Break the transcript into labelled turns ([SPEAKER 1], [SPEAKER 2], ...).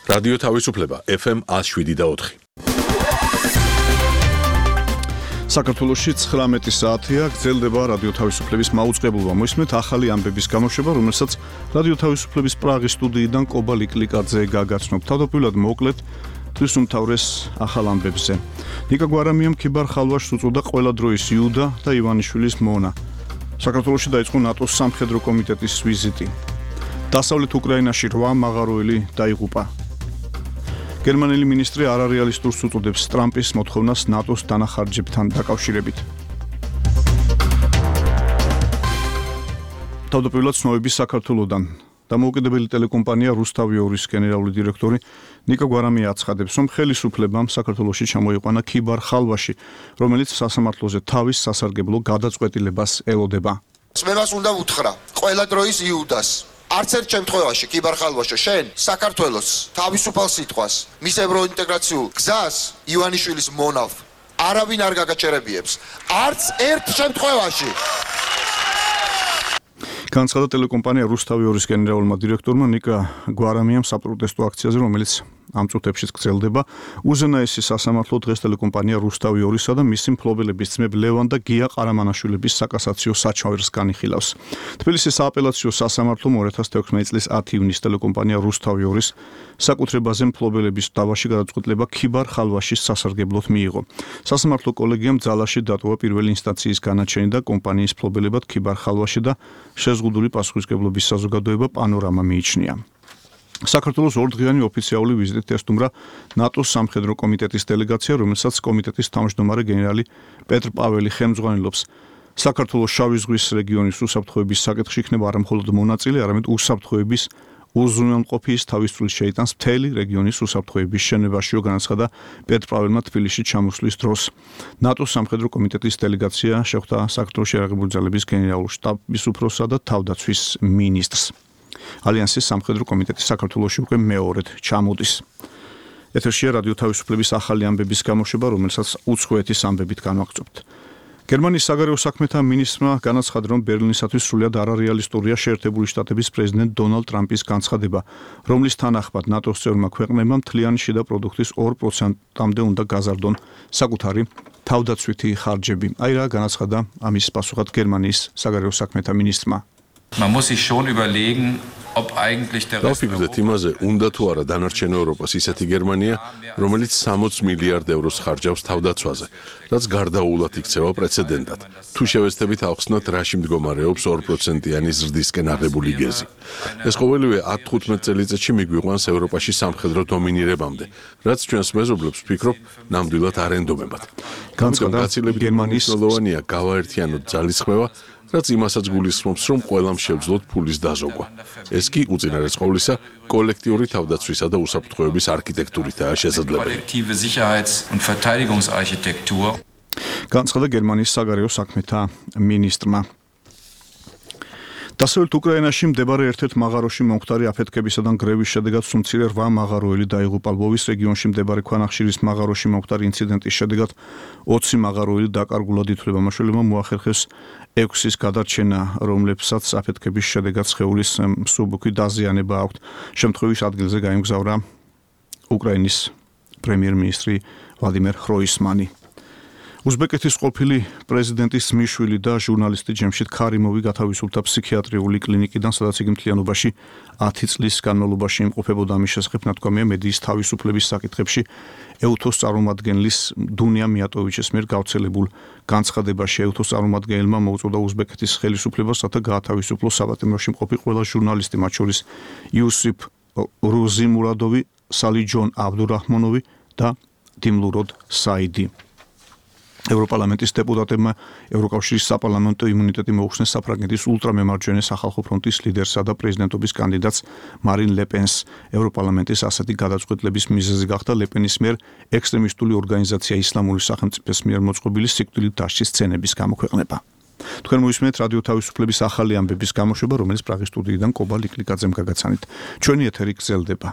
[SPEAKER 1] რადიო თავისუფლება FM 107.4.
[SPEAKER 2] საქართველოში 19 საათია გრძელდება რადიო თავისუფლების მაუწყებლობა. მოისმენთ ახალი ამბების გამოშვება, რომელსაც რადიო თავისუფლების პრაღის სტუდიიდან კობა ლიკლიკაძე გაგაცნობ. თავდაპირველად მოკლედ თვის უმთავრეს ახალ ამბებზე. ნიკა გვარამიამ ქიბარ ხალვაშს უწოდა ყველა დროის იუდა და ივანიშვილის მონა. საქართველოში დაიწყო ნატოს სამხედრო კომიტეტის ვიზიტი. დასავლეთ უკრაინაში 8 მაღაროელი დაიღუპა. გერმანელი მინისტრი არარეალისტურს უწოდებს ტრამპის მოთხოვნას ნატოს დანახარჯებთან დაკავშირებით. თავდაპირველად ცნობები საქართველოდან. დამოუკიდებელი ტელეკომპანია რუსთავიორის გენერალური დირექტორი ნიკა გვარამია აცხადებს, რომ ხელისუფლებამ საქართველოში ჩამოიყვანა ქიბარ ხალვაში, რომელიც სასამართლოზე თავის სასარგებლო გადაწყვეტილებას ელოდება.
[SPEAKER 3] მე მას უნდა ვუთხრა ყველა დროის იუდას. არც ერთ შემთხვევაში ქიბარ ხალვაშო შენ საქართველოს თავისუფალ სიტყვას, მის ევროინტეგრაციულ გზას ივანიშვილის მონავ არავინ არ გაგაჩერებიებს. არც ერთ შემთხვევაში.
[SPEAKER 2] განცხადა ტელეკომპანია რუსთავიორის გენერალურმა დირექტორმა ნიკა გვარამიამ საპროტესტო აქციაზე, რომელიც ამ წუთებშიც გრძელდება. უზენაესი სასამართლო დღეს ტელეკომპანია რუსთავიორისა და მისი მფლობელების ძმებ ლევან და გია ყარამანაშვილების საკასაციო საჩვენს განიხილავს. თბილისის სააპელაციო სასამართლომ 2016 წლის 10 ივნისს ტელეკომპანია რუსთავიორის საკუთრებაზე მფლობელების დავაში გადაწყვეტილება ქიბარ ხალვაშის სასარგებლოდ მიიღო. სასამართლო კოლეგიამ ძალაში დატოვა პირველი ინსტანციის განაჩენი და კომპანიის მფლობელებად ქიბარ ხალვაში და შეზღუდული პასუხისმგებლობის საზოგადოება პანორამა მიიჩნია. საქართველოს ორდღიანი ოფიციალური ვიზიტით ესტუმრა ნატოს სამხედრო კომიტეტის დელეგაცია, რომელსაც კომიტეტის თავმჯდომარე გენერალი პეტრ პაველი ხელმძღვანელობს. საქართველოს შავი ზღვის რეგიონის უსაფრთხოების საკითხში იქნება არა მხოლოდ მონაწილე, არამედ უსაფრთხოების უზრუნველყოფის თავისუფლად შეიტანს მთელი რეგიონის უსაფრთხოების შენობაშიო, განაცხადა პეტრ პაველმა თბილისში ჩამოსვლის დროს. ნატოს სამხედრო კომიტეტის დელეგაცია შეხვდა საქართველოს შეიარაღებული ძალების გენერალურ შტაბის უფროსსა და თავდაცვის მინისტრს. ალიანსის სამხედრო კომიტეტი საქართველოში უკვე მეორედ ჩამოდის. ეთერშია რადიო თავისუფლების ახალი ამბების გამოშვება, რომელსაც უცხოეთის ამბებით განვაგრძობთ. გერმანიის საგარეო საქმეთა მინისტრმა განაცხადა, რომ ბერლინისათვის სრულად არარეალისტურია შეერთებული შტატების პრეზიდენტ დონალდ ტრამპის განცხადება, რომლის თანახმად ნატოს წევრმა ქვეყნებმა მთლიანი შიდა პროდუქტის 2%-მდე უნდა გაზარდონ საკუთარი თავდაცვითი ხარჯები. აი რა განაცხადა ამის პასუხად გერმანიის საგარეო საქმეთა მინისტრმა.
[SPEAKER 4] Man muss sich schon überlegen, ob eigentlich der Rest
[SPEAKER 1] დავფიქრდეთ იმაზე, უნდა თუ არა დანარჩენ ევროპას ისეთი გერმანია, რომელიც 60 მილიარდ ევროს ხარჯავს თავდაცვაზე, რაც გარდაუულად იქცევა პრეცედენტად. თუ შევეცდებით ავხსნათ, რაში მდგომარეობს 2%-იანი ზრდისკენ აღებული გეზი. ეს ყოველივე 10-15 წელიწადში მიგვიყვანს ევროპაში სამხედრო დომინირებამდე, რაც ჩვენს მეზობლებს ვფიქრობ, ნამდვილად არ ენდომებათ.
[SPEAKER 2] განცხადა
[SPEAKER 1] გერმანიის მნიშვნელოვანია გავაერთიანოთ ძალისხმევა, რაც იმასაც გულისხმობს, რომ ყველამ შევძლოთ ფულის დაზოგვა. ეს კი უწინარეს ყოვლისა კოლექტიური თავდაცვისა და უსაფრთხოების არქიტექტურითაა შესაძლებელი.
[SPEAKER 4] kollektive Sicherheits- und Verteidigungsarchitektur.
[SPEAKER 2] განცხადა გერმანიის საგარეო საქმეთა მინისტრმა. დასავლეთ უკრაინაში მდებარე ერთ-ერთ მაღაროში მომხდარი აფეთქებისა და გრევის შედეგად სულ 8 მაღაროელი დაიღუპა. ლვოვის რეგიონში მდებარე ქვანახშირის მაღაროში მომხდარი ინციდენტის შედეგად 20 მაღაროელი დაკარგულად ითვლება. მაშველებმა მოახერხეს 6-ის გადარჩენა, რომლებსაც აფეთქების შედეგად სხეულის მსუბუქი დაზიანება აქვთ. შემთხვევის ადგილზე გაემგზავრა უკრაინის პრემიერ-მინისტრი ვლადიმერ ხროისმანი. უზბეკეთის ყოფილი პრეზიდენტის ძმისშვილი და ჟურნალისტი ჯემშიდ ქარიმოვი გათავისუფლდა ფსიქიატრიული კლინიკიდან, სადაც იგი მთლიანობაში 10 წლის განმავლობაში იმყოფებოდა. ამის შესახებ ნათქვამია მედიის თავისუფლების საკითხებში ეუთოს წარმომადგენლის დუნია მიატოვიჩის მიერ გავრცელებულ განცხადებაში. ეუთოს წარმომადგენელმა მოუწოდა უზბეკეთის ხელისუფლებას, რათა გაათავისუფლოს საპატიმროში მყოფი ყველა ჟურნალისტი, მათ შორის იუსიფ რუზიმურადოვი, სალიჯონ აბდურაჰმონოვი და დიმლუროდ საიდი. ევროპარლამენტის დეპუტატებმა ევროკავშირის საპარლამენტო იმუნიტეტი მოუხსნეს საფრანგეთის ულტრამემარჯვენე სახალხო ფრონტის ლიდერსა და პრეზიდენტობის კანდიდატს მარინ ლე-პენს. ევროპარლამენტის ასეთი გადაწყვეტილების მიზეზი გახდა ლე-პენის მიერ ექსტრემისტული ორგანიზაცია ისლამური სახელმწიფოს მიერ მოწყობილი სიკვდილით დასჯის სცენების გამოქვეყნება. თქვენ მოისმენთ რადიო თავისუფლების ახალი ამბების გამოშვება, რომელიც პრაღის სტუდიიდან კობა ლიკლიკაძემ გაგაცანით. ჩვენი ეთერი გრძელდება.